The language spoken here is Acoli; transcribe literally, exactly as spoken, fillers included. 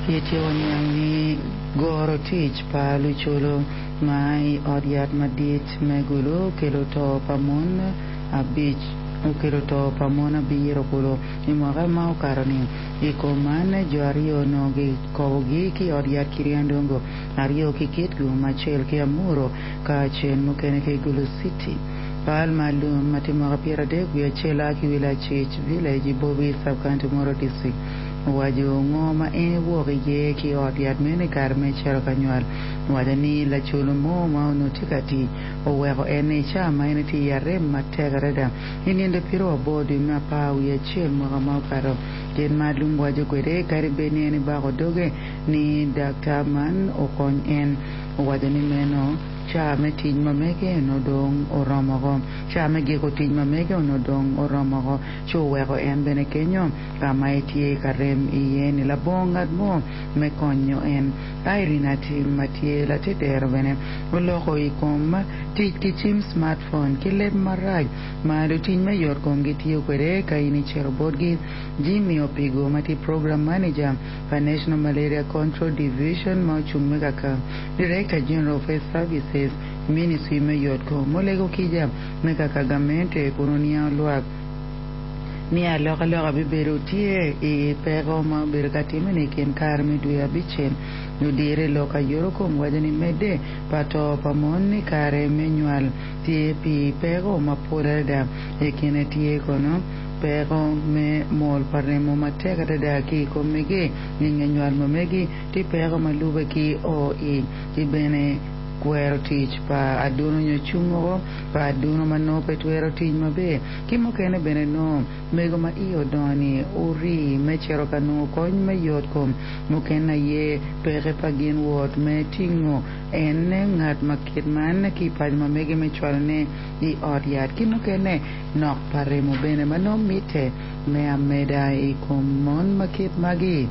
Ityeko niang ni goro tic pa lucolo ma i ot yat madit me Gulu okelo to pa mon abic okelo to pa mon abiro kulu i mwaka ma okato-ni. I kom man, jo aryo onongo gikobogi ki i ot yat Kiryandongo, aryo ki Kitgum, acel ki Amuru, ka acel mukene ki Gulu City. Pal ma lum ma tye mwaka pyeradek wiye acel a ki wi Lacic Village i Bobi Sub-County Moro District owaco ngo ma en ewok iye ki i ot yat meno i kare me cito ka nywal. Owaco ni lacolo mo ma onongo tye ka tic oweko en i cawa ma en tye i arem matek adada i nindo pyeraryo aboro dwe me apar wiye acel mwaka ma okato. Kit ma lum waco kwede kadi bed ni en ebako doge ni daktar man okony en. Owaco ni meno cawa me tic ma mege onongo dong oromoko. Cawa me giko tic ma mege onongo dong oromoko ci oweko en bene kenyo ka ma etye ka rem iye ni labongo ngat mo me konyo en. Irene Atim ma tye latedero bene oloko i kom tic ki cim smartphone ki leb marac ma lutic me yotkom gitiyo kwede ka in icito botgi. Jimmy Opigo ma tye program manager pa National Malaria Control Division ma ocung me kaka Director General of Health Services Ministry me yotkom olego kica me kaka gamente kun oniango lwak ni alokaloka bibedo tye i peko ma obedo ka timme-ni i kin kare me dwe abicel. Ludiro i lok ayuto kom waco ni medde pa to pa mon i kare me nywal tye pi peko mapol adada. I kine tye kono peko me mol pa remo matek adada ki i kom mege i nge nywal ma megi tye peko ma lube ki o i ki bene kwero tic pa aduno nyo cungo pa aduno ma nongo pe twero tic maber ki mukene bene nongo mego ma iye odongo-ni ori me cito ka nongo kony me yotkom mukene aye peke pa gin wot me tingo en ngat ma kit man ki i paco ma mege me cwalone i ot yat ki mukene nok pa remo bene ma nongo mitte me ameda i kom mon ma kit magi.